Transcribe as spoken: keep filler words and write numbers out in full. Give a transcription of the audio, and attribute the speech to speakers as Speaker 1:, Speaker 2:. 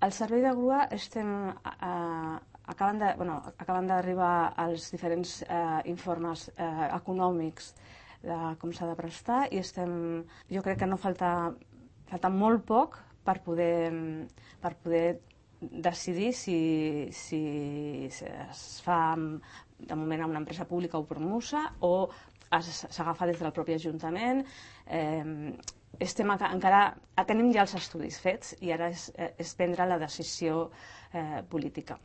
Speaker 1: Al servei de grua estem... Eh, acaben de, bueno, acaben d'arribar els diferents eh, informes eh, econòmics de com s'ha de prestar i estem... Jo crec que no falta, falta molt poc per poder, per poder decidir si, si es fa de moment a una empresa pública o promosa o s'agafa des del propi Ajuntament. Eh, estem encara, tenim ja els estudis fets i ara és, és prendre la decisió eh, política.